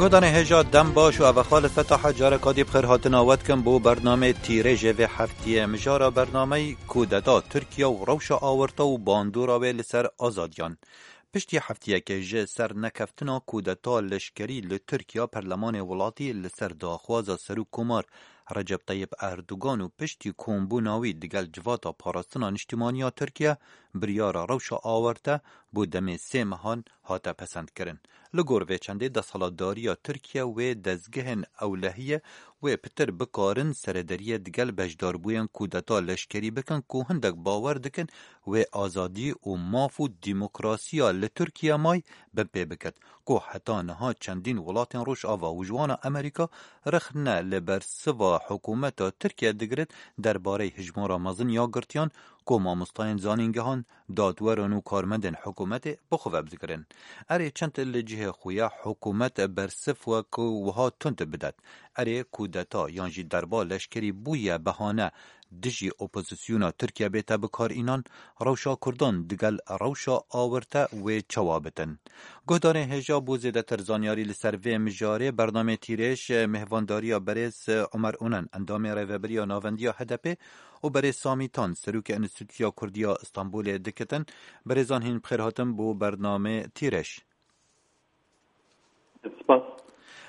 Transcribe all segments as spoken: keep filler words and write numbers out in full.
Guhdarên hêja dem baş û ev xal Fetah careka dî bi xêr hatina we dikin bo bernameyê Tîrêjê vê heftiyê. Mijara bernameyî kudeta Tirkiye û rewşa awirta û bandora wê li ser azadiyan. Piştî heftiyekê ji ser nekeftina kudeta leşkerî li Tirkiye, perlemanê welatî li ser daxwaza Serokkomar Recep Tayyip Erdogan û piştî kombûna wî digel Civata Parastina Niştimaniya Tirkiye, biryara rewşa awarte bo demê sê mehan hate pesendkirin. Li gor vê çendê, desthilatdariya Tirkiye wê dezgehên ewlehiyê wê pitir bikarin seredariyê digel beşdarbûyên kudeta leşkerî bikin ku hindek bawer dikin wê azadî û maf û demokrasiya li Tirkiye may binpê bikit, ku heta niha çendîn welatên Rojava û ji wana Amerîka rexne li bersiva hikûmeta Tirkiye digirin derbarê hijmara mezin ya girtiyan ku mamostayên zanîngehan, dadweran û karmendên hikûmetê bi xwe ve bidigirin. Erê, çend li cihê xwe ya hikûmet bersif we ku wiha tund bidet. Erê, kudeta yan jî derba leşkerî bûye behane dijî opozisyona Tirkiye bête bikarînan, rewşa Kurdan digel rewşa awirte wê çawa bitin. Guhdarên hêja, bo zêdetir zanyarî li ser vê mijarê, bernameyê Tîrêj, mêhvandariya berêz Omer Onen, endamê Rêveberiya Navendiya H D P, û berêz Samî Tan, serokê Enstîtuya Kurdî ya Stenbolê dikitin. Berêzan hîn bi xêr hatin bo bernameyê Tîrêj. Spas.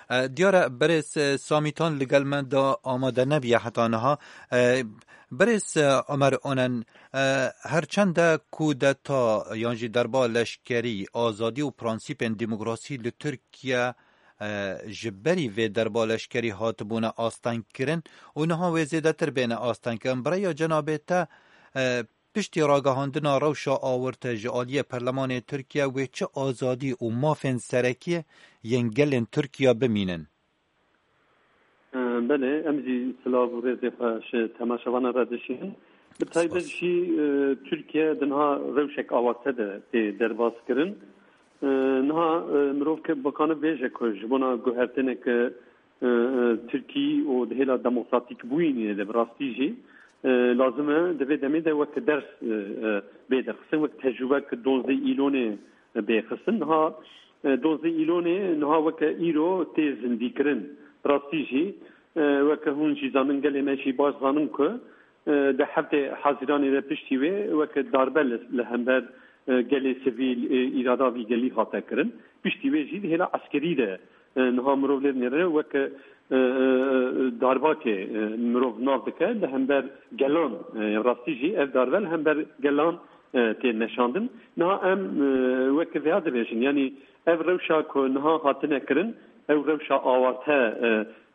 E, diyar e, berêz, e, Samî Tan li gel me de amade nebiye heta niha. E, berêz, e, Omer Onen, e, her çende kudeta yan jî derba leşkerî, azadî û prensîpên demokrasî li Tirkiye, e, ji berî vê derba leşkerî hatibûne astengkirin û niha wê zêdetir bêne astengkirin. Bi rêya cenabê te, e, piştî ragihandina rewşa awirte ji aliyê Perlemanê Tirkiye, wê çi azadî û mafên serekî yên gelên Tirkiye bimînin? E, belê, em jî silav û rêzê xwe ji temaşevanan re dişînin. Bi taybet Spas. jî, e, Tirkiye di niha rewşek awarte de tê derbas kirin. E, niha, e, mirov ke bikane bêje ku ji bona guhertineke, e, e, Tirkî û di hêla demokratîk bûyînê de bi rastî jî, e, lazim e di vê demê de weke ders, e, e, bê derxistin, wek tecrûbek donzdeh Îlonê bê xistin. Niha, e, donzdeh Îlonê niha weke îro tê zindîkirin. Bi rastî jî, e, weke hûn jî zanin, gelê me jî baş zanin ku, e, di heftê Hezîranê de piştî wê weke darbe li, li hember, e, gelê sivîl, e, îrada vî gelî hate kirin. Piştî wê jî di hêla eskerî de, e, niha mirov lê dinêre weke, e, e, e, darbakê, e, mirov nav dike li hember gelan. E, rastî jî ev darbe li hember gelan, e, tê meşandin. Niha em, e, weke vêya dibêjin, yanî ev rewşa ku niha hatine kirin, ew rewşa awarte,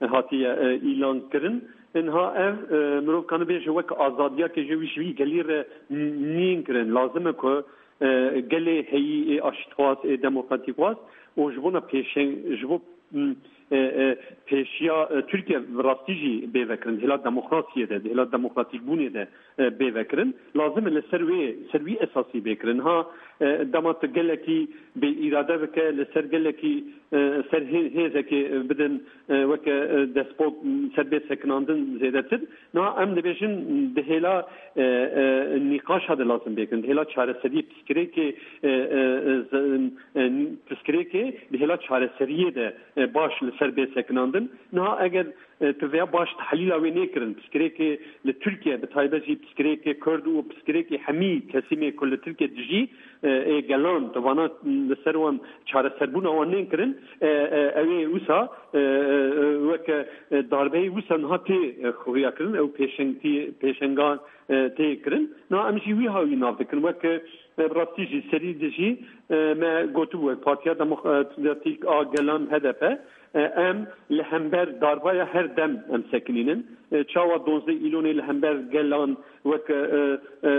e, hatiye, e, îlan kirin. Niha ev, e, mirov kane bêje weke azadiyeke ji wî, ji wî gelî re n-, nîn kirin. Lazim e ku, e, gelê heyî ê aştixwaz, ê demokratîkxwaz û ji bona pêşeng-, ji bo, m, e, e, pêşiya, e, Tirkiye bi rastî jî bê vekirin. Di hêla demokrasiyê de, di hêla demokratîkbûnê de, e, bê vekirin. Lazim e li ser wê, ser wî esasî bê kirin. Ha, e, dema tu gelekî bê îrade bike, li ser gelekî, e, ser hê-, hêzekê, e, bidin, e, weke, e, despot, m, ser bê sekinandin zêdetir. Niha em dibêjin di hêla, e, e, nîqaşa de lazim bê kirin, di hêla çareseriyê piskirêkê, e, e, e, z-, e, piskirêkê di hêla çareseriyê de, e, baş li ser bê sekinandin. Niha eger, e, tu vêya baş tehlîla wê nêkirin, piskirêkê li Tirkiye, bi taybet jî piskirêkê Kurd û piskirêkê hemî kesîmê ku li Tirkiye dijî, e, ê gelan, tu vana li ser wan çareserbûna wan nên kirin, e, e, ew ê wisa, e, e, e, weke, e, darbeyê wisa niha tê, e, xuya kirin, ew pêşengtî-, pêşengan, e, tê kirin. Niha em jî wî hawî nav dikin. Weke, e, bi rastî jî serî dijî, e, me gotibû wek Partiya Demokratîk a Gelan H D P, e, em li hember darbaya her dem em sekinînin. E, çawa donzdeh Îlonê li hember gelan wek, e, e,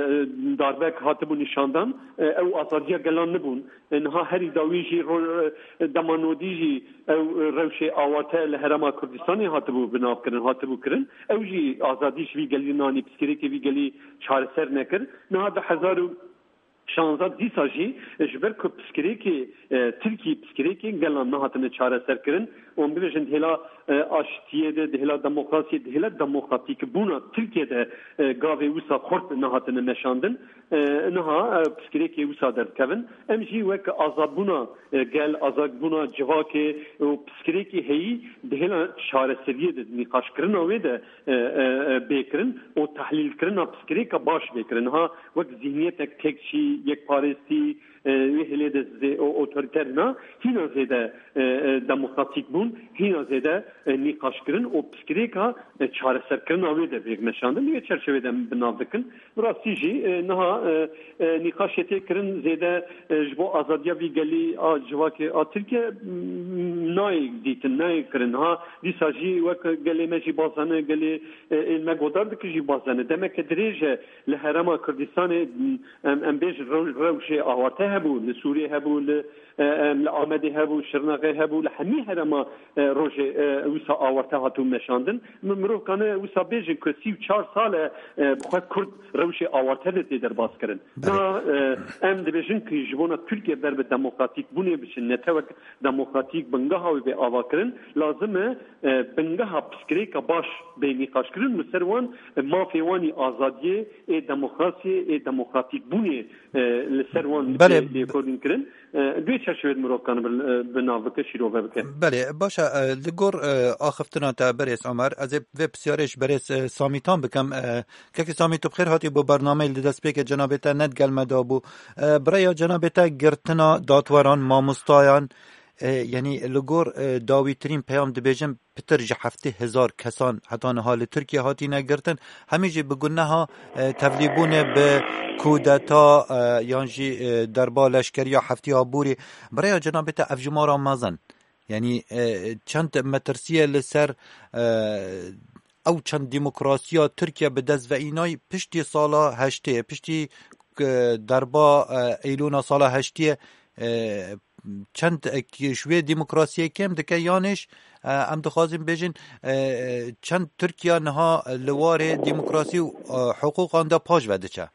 darbek hatibû nîşandan, e, ew azadiya gelan nibûn. E, niha herî dawî jî ro-, e, dema nodî jî ew, e, rewşê awarte li Herêma Kurdistanê hatibû binavkirin, hatibû kirin. Ew jî azadî ji vî gelî nanî, piskirêkê vî gelî çareser nekir. Niha du hezar û Şanza dîsa jî, e, ji ber ku piskirêkê, e, Tirkî piskirêkê gelan nehatine çareserkirin, û em bibêjin di hêla, e, aştiyê de, di hêla demokrasiyê, di hêla demokratîkbûna Tirkiye de, e, gavê wisa xurt nehatine meşandin. E, niha, e, piskirêkê wisa derdikevin. Em jî wek azadbûna, e, gel, azadbûna civakê û piskirêkê heyî di hêla çareseriyê de, nîqaşkirina wê de, e, e, e, bê kirin û tehlîlkirina piskirêka baş bê kirin. Niha wek zihniyetek tekçî, yekparêstî, e, wê hêlê de zê-, o-, otorîter na, hîna zêde, e, e, demokratîk bûn, hîna zêde, e, nîqaşkirin û piskirêka, e, çareserkirina wê de bê meşandin. Wê çerçevê de em bi nav dikin. Bi rastî jî, e, niha, e, e, nîqaşê tê kirin zêde, e, ji bo azadiya vî gelî a civakê a Tirkiye, m-, nayê dîtin, nayê kirin. Ha, dîsa jî wek gelê me jî bazane, gelê, e, ên me godar dike jî bazane. Demeke dirêj e li herêma Kurdistanê, m-, em, em bêjin rew-, rewşê awarte hebû, li Sûriyê hebû, li, e, em, li Amedê hebû, Şirnexê hebû, li hemî herêma, e, rojê, e, wisa awarte hatibû meşandin. Mi-, mirov kane wisa bêjin ku sî û çar sal e, e, bi xwe Kurd rewşê awarte de tê derbas kirin. Belê. Na, e, em dibêjin ku ji bona Tirkiye ber bi demokratîk bûnê biçin, netewek demokratîk bingeha wê bê avakirin, lazim e, e, bingeha piskirêka baş bê nîqaşkirin, li ser wan, e, mafê wan î azadiyê, ê demokrasiyê, ê demokratîk bûnê, e, li ser wan Belê. bê lêkolîn kirin. E, di wê çerçevê de mirov kane bi, e, bi nav bike, şîrove bike. Belê, baş e, e, li gor, e, axiftina te berêz Omer, ez ê vê pisyarê ji berêz, e, Samîtan bikim. E, Kekê Samî, tu bi xêr hatî bo bernameyê, li destpêkê cenabê te ne digel me de bû. E, bi rêya cenabê te girtina datweran, mamostayan, e, yanî li gor, e, dawîtirîn peyam dibêjin, pitir ji heftê hezar kesan heta niha li Tirkiye hatine girtin. Hemî jî bi guneha, e, tevlîbûnê bi kudeta, e, yan jî, e, derba leşkeriya heftê Aborî. Bi rêya cenabê te ev jimara mezin. Yanî, e, çend metirsiyê li ser, e, ew çend demokrasiya Tirkiye bi dest ve înay piştî sala heştê, piştî, e, derba, e, Eylûna sala heştê, e, çend, e, ji wê demokrasiyê kêm dike, yanî, e, em dixwazin bêjin, e, çend Tirkiye niha li warê demokrasî û, e, hiqûqan de paş ve diçe?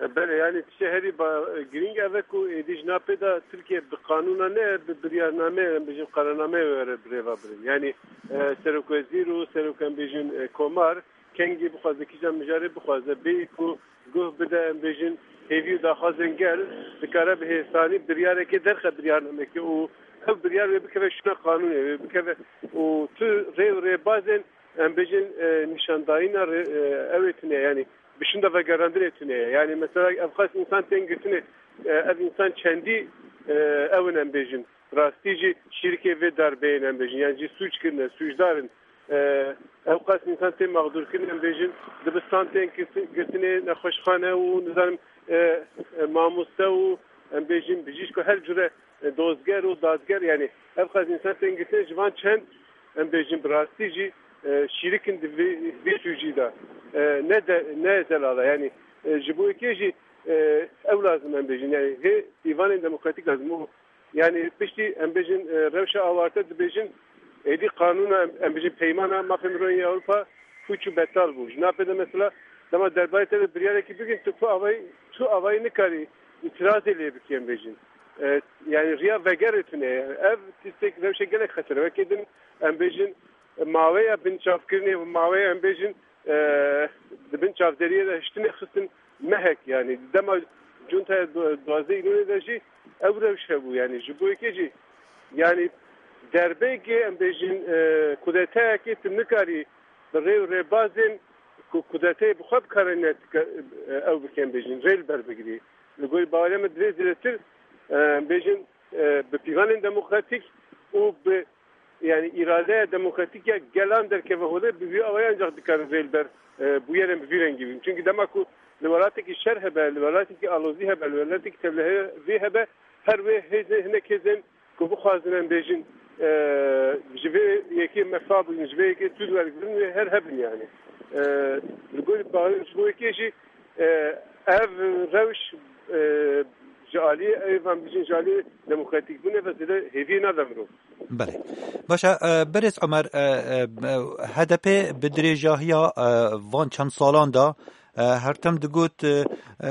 E, belê, yanî tiştê herî ba-, girîng ev e ku êdî ji napê de Tirkiye bi qanûna ne, bi biryarname, em bêjin qararname were bi rê ve birin. Yanî, e, serokwezîr û serok, em bêjin, e, komar, kengî bixwaze, kîjan mijarê bixwaze, bêyî ku guh bide, em bêjin, hêvî û daxwazên gel, dikare bi hêsanî biryarekê derxe biryarnamekê û ev biryar wê bikeve şûna qanûnê, wê bikeve û tu rê û rêbazên, em bêjin, e, nîşandayîna rê-, e, ew ê tune ye, yanî bi şûnda vegerandinê tune ye. Yanî mesela ev qas însan tên girtinê, e, ev însan çendî, e, ew in, em bêjin. Rastî jî şîrikê vê darbeyê ne, em bêjin. Yan jî sûc kirine, sûcdar in. E, ew qas însan tên mexdûr kirin, em bêjin. Dibistan tên girti-, girtinê, nexweşxane û nizanim, e, e, mamoste û, em bêjin, bijîşk û her cure, e, dozger û dadger, yanî ev qas însan tên girtinê, ji van çend, em bêjin, bi rastî jî, e, şîrik in di vê, vê sûcî de. E, ne de, ne delala, yanî, e, ji bo yekê jî, e, ew lazim em bêjin, yanî hê dîvanên demokratîk lazim. Û, yanî piştî em bêjin, e, rewşa awarte dibêjin, êdî qanûna em, em bêjin peymana mafê mirovên Ewropa pûç û betal bû. Ji napê de mesela dema derbarê te de biryarekî bigrin, tu ku avayî, tu avayî nikarî îtirazê lê bikî, em bêjin. E, yanî riya vegerê tune ye. Ev tiştek rewşek gelek xeter e. Wekî din em bêjin, e, maweya binçavkirinê û maweya em bêjin, e, di bin çavderiyê de hiştinê xistin mehek, yanî dema cuntaya du-, duwazdeh Îlonê de jî ew rewş hebû, yanî ji bo yekê jî, yanî derbeyekê em bêjin, e, kudetayekê tu nikarî bi rê û rêbazên ku kudeteyê bi xwe bikarîne, e, ew bike, em bêjin, rê li ber bigirî. Li gorî baweriya me divê zêdetir, e, em bêjin, e, bi pîvanên demokratîk û bi, yanî îradeya demokratîk ya gelan derkeve holê, bi vî awayî ancak dikarin rê li ber, e, bûyerên bi vî rengî bîn. Çimkî dema ku li welatekî şer hebe, li welatekî alozî hebe, li welatekî tevlihevî hebe, her wê hêzên, hinek hêzên ku bixwazin em bêjin, e, ji vê yekê mefa bigrin, ji vê yekê sûd wergirin, wê her hebin yanî. E, li gorî bawer ji bo yekê jî, e, ev rewş, e, ji aliyê, ev em bêjin, ji aliyê demokratîkbûnê ve zêde hêviyê nade mirov. Belê. Baş e, e, berêz Omer, e, e, H D P bi dirêjahiya, e, van çend salan de, E, her tim digot, e, e,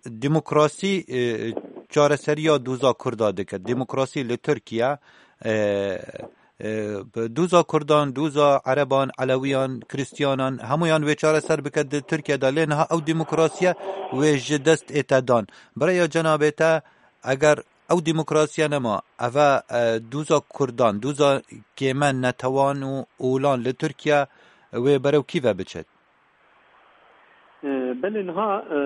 demokrasî, e, çareseriya doza Kurda dike. Demokrasî li Tirkiye, e, e, bi doza Kurdan, doza Ereban, Elewiyan, Kristiyanan, hemûyan wê çareser bike di Tirkiye de. Lê niha ew demokrasiye wê ji dest ête dan. Bi rêya cenabê te, eger ew demokrasiye nema, eve, e, doza Kurdan, doza kême netewan û olan li Tirkiye wê berew kî ve biçet? E, belê niha, e,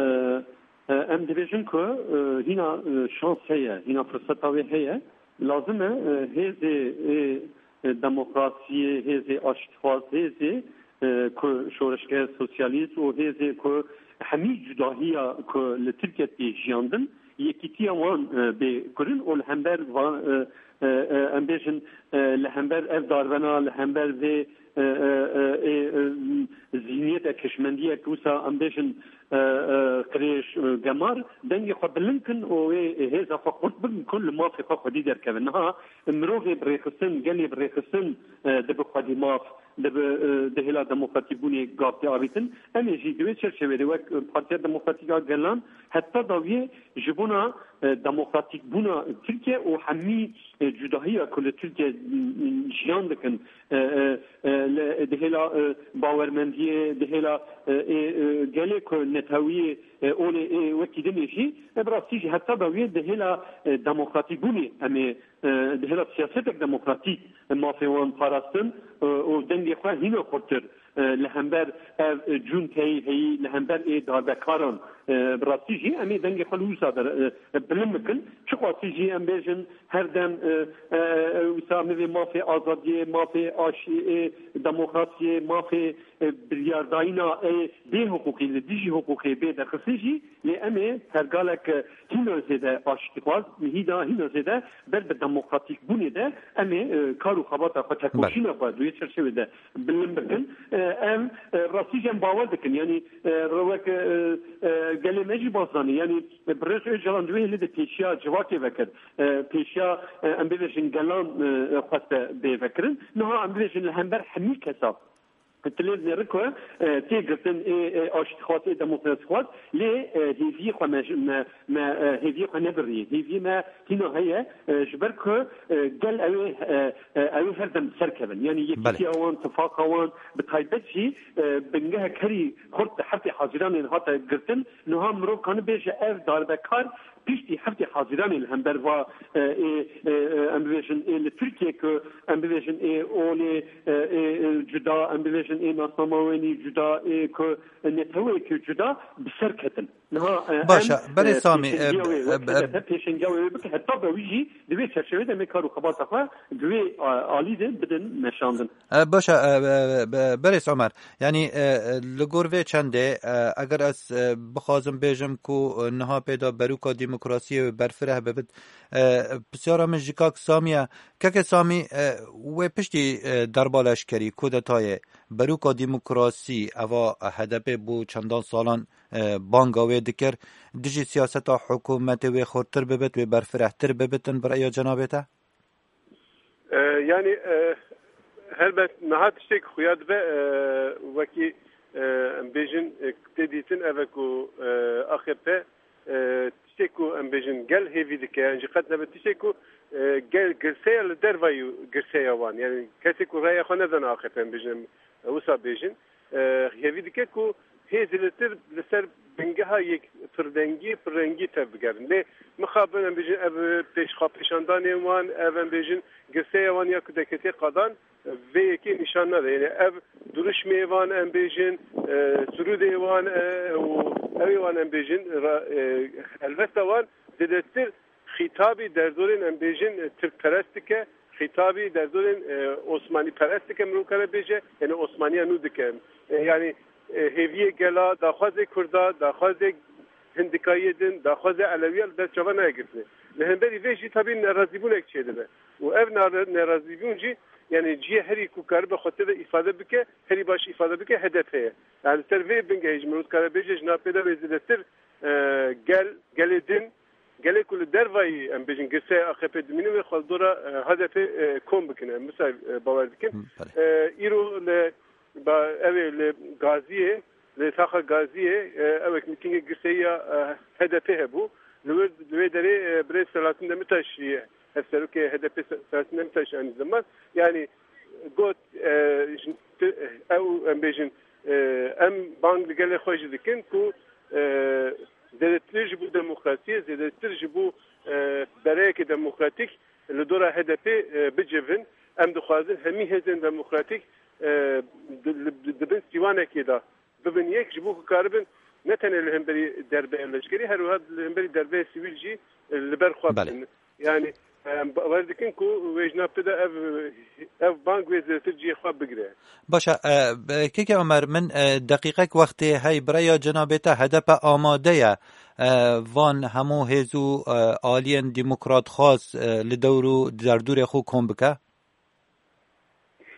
e, em dibêjin ku, e, hîna, e, şans heye, hîna firseta wê heye. Lazim e, e, hêzê, e, e, demokrasiyê, hêzê aştixwaz, hêzê, e, ku şoreşger sosyalîst û hêzê ku hemî cudahiya ku li Tirkiye tê jiyandin, yekîtiya wan, e, bê kurin û li hember van, e, e, e, em bêjin, e, li hember ev darbena, li hember vê, e, e, e, e, e, zîhniyete kişmendiyek wisa em bêjin, e, e, qirêj, e, gemar, dengê xwe bilind kin û wê hêza xwe xurt bikin ku li mafê xwe xwedî derkevin. Niha mirovê bi rêxistin, gelê bi rêxistin, e, dibi xwedî maf, dibi, e, di hêla demokratîkbûnê gav tê avîtin. Em ê jî di wê çerçevê de wek Partiya Demokratîk a Gelan heta dawiyê ji bona, e, demokratîkbûna Tirkiye û hemî, e, cudahiya ku li Tirkiye, m, m, jiyan dikin, e, e, e, li, di hêla, e, bawermendiyê, di hêla, e, ê, e, gelê ku netewiyê, e, olê, ê, wekî dinê jî, e, bi rastî jî heta dawiyê di hêla, e, demokratîkbûnê em ê, e, di hêla siyasetek demokratîk mafê wan parastin, e, û dengê xwe hîna xurtir, e, li hember ev, e, cunteyê heyî, li hember ê darbekaran, e, bi rastî jî em ê dengê xwe li wisa de, e, bilind bikin. Çiqasî jî em bêjin her dem, e, e, e, wisa mivê mafê azadiyê, mafê aşiyê, demokrasiyê, mafê, e, biryardayîna, e, bê hiqûqî, li dijî hiqûqê bê derxistin jî, lê em ê pergalek, e, hîna zêde aştîxwaz, hîna, hîna zêde ber bi demokratîkbûnê de em ê, e, kar û xebata xwe, tekoşîna xwe di wê çerçevê de bilind bikin. E, em, e, rastî jî em bawer dikin. Yanî, e, wek, e, e, gelê me jî baş zanî. Yanî, e, Birêz Ocalan di wê hêlê de pêşiya civakê vekir. E, pêşiya, e, em bibêjin gelan, e, xweste bê vekirin. Niha em bibêjin li hember hemî kesa. Tilêv nêri ku, e, tê girtin ê, ê aştîxwaz, ê demokrasîxwaz, lê, e, hêviyê xwe me, me, me, e, hêviyê xwe nebirî. Hêviyê me hîna heye, e, ji ber ku, e, gel ew ê, e, e, ew ê her dem serkevin. Yanî Belê. Yekîtiya wan, tifaqa wan, bi taybet jî, e, bingehek herî xurt di heftê Haziranê hate girtin. Niha mirov kane bêje ev darbekar piştî heftê Haziranê li hember va, e, ê, e, e, em bibêjin ê li Tirkiye ku em bibêjin ê olê, e, ê, e, cuda, em bibêjin ê nasnama wenî cuda, ê ku neteweyekî cuda bi ser ketin. Niha, e, Baş e, em, berê e, Samî, e, pêşengiya wê, e, wek e, H D P pêşengiya wê bike, heta be wî jî di vê çerçevê de em ê kar û xebata xwe di wê, a, alî de bidin meşandin. E, baş e, e, e, e, berêz Omer, yanî, e, e, li gor vê çendê, e, eger ez, e, bixwazim bêjim ku, e, niha pê de berûka demokrasiyê berfireh bibit, e, pisyara min ji kak Samî ye. Keke Samî, e, wê piştî, e, darba leşkerî, kudetayê, berûka demokrasî, eva H D P bû çendan salan, e, banga wê dikir, dijî siyaseta hikûmetê wê xurtir bibit, wê berfirehtir bibitin, bi rêya cenabê te? E, yanî, e, helbet niha tiştek xuya dibe, e, wekî, e, em bêjin, e, tê dîtin ev e ku, e, A K P, e, tiştek ku em bêjin gel hêvî dike, yan jî qet nebe tiştek ku, e, gel girseya li dervayî girseya wan. Yanî kesê ku raya xwe nedane A K P em bêjin, em, e, wisa bêjin. E, hêvî dike ku hêzî li tir li ser bingeha yek pirdengî, pirrengî tev bigerin. Lê mixabin em bêjin ev pêşxapêşandanên wan, ev em bêjin girseya wan ya ku deketê qadan, vê yekê nîşan nade. Yanî ev duruşmê wan em bêjin, e, sirûdê wan, e, û ewê wan em bêjin, ra-, e, helvesta wan zêdetir xîtabî derdorên em bêjin, e, tirkperest dike, xîtabî derdorên, e, osmanîperest dike, mirov kare bêje, yanî osmaniya nû dike. E, yanî, e, hêviyê gela, daxwazê kurda, daxwazê hindikayiyê din, daxwazê elewiya li dest çava nayê girtinê. Li hemberî vê jî tabî nerazîbûnek çêdibe. Û ev nare-, nerazîbûn jî, yanî cihê herî ku karibe xwe tê de îfade bike, herî baş îfade bike, H D P ye. Yanî ser vê bingehê ji mirov dikare bêje, ji nav pê de wê zêdetir, e, gel, gelê din, gelê ku li dervayî, em bêjin, girseya A K P dimîne wê xwe li dora, e, H D P, e, kom bikine. Em wisa, e, bawer dikin. Hı, belê. E, îro li, ba, ew ê li Gaziyê, Li taxa Gaziyê, e, ewek mîtîngê girseyiya, e, H D P hebû. Li wir, li wê derê, e, birêz Selahattin Demirtaş jî, hevserokê H D P Se-, Selahattin Demirtaş anî ziman. Yani got, e, ji ti-, ew, em bêjin, e, em bang li gelê xwe jî dikin ku, e, zêdetir ji bo demokrasiyê, zêdetir ji bo, e, bereyeke demokratîk li dora H D P, e, bicivin. Em dixwazin hemî hêzên demokratîk, e, di, di, di bin sîwanekê de bibin yek, ji bo ku karibin ne tenê li hemberî derbeya leşkerî, her wiha li hemberî derbeya sivîl jî, e, li ber xwe Belê. bibin. Yani, em bawer dikin ku wê ji nav de ev, ev bang wê zêdetir cihê xwe bigire. Baş e, e, Keke Omer, min, e, deqîqek wextê hey, bireya cenabê te H D P amade ye, e, van hemû hêz û, e, aliyên demokratxwaz, e, li dewr û derdorê xwe kom bike?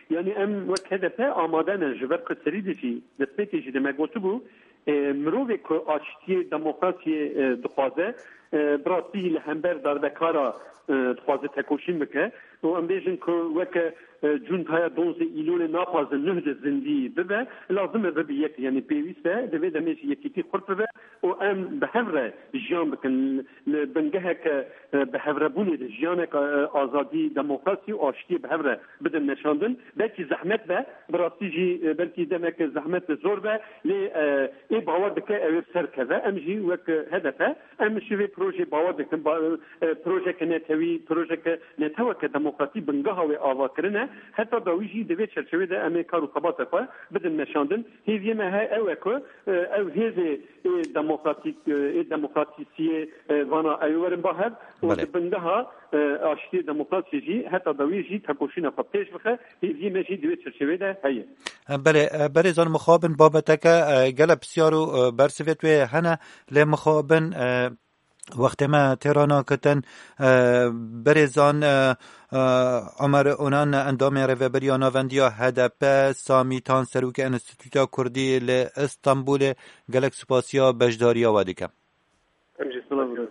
Yani em wek H D P amade ne, ji ber ku serî de jî, destpêkê jî de me gotibû, e, mirovê ku aştiyê, demokrasiyê, e, dixwaze, e, bi rastî li hember darbekara, e, dixwaze tekoşîn bike. Û em bêjin ku weke, e, cuntaya donzê Îlolê naxwazin nuh de zindî bibe, lazim e bibe yek, yani pêwîst e, di vê demê jî yekîtî xurt bibe û em bi hev re jiyan bikin. Li bingeheke, e, bi hevrebûnê de jiyaneke, e, azadî, demokrasî û aştiyê bi hev re bidin meşandin. Belkî zehmet be, bi rastî jî, e, belkî demeke zehmet zor be, lê, e, ê bawer dike ew ê bi ser keve. Em jî wek, e, H D P, em ji vê projeyê bawer dikin. Ba-, e, projeke netewî, projeke neteweke demokratî bingeha wê ava kirine. Heta dawî jî di vê çerçevê de em ê kar û xebata xwe bidin meşandin. Hêviyê me he ew e ku, e, ew hêzê ê demokratîk, e, ê demokratîsiyê, e, vana ew ê werin ba hev û Belê. di bingeha, e, aştiyê demokrasiyê jî heta dawî jî tekoşîna xwe pêş bixe. Hêviyê me jî di wê çerçevê de heye. Belê, e, berêzan mixabin babeteke, e, gelek pisyar û, e, bersivêt wê hene, lê mixabin, e, wextê me têra nakitin, e, berêzan, e, e, Omer Onan, endamê Rêveberiya Navendiya H D P, Samî Tan, serokê Enstîtuta Kurdî li Îstanbulê, gelek spasiya beşdariya we dikim. Em jî spasiya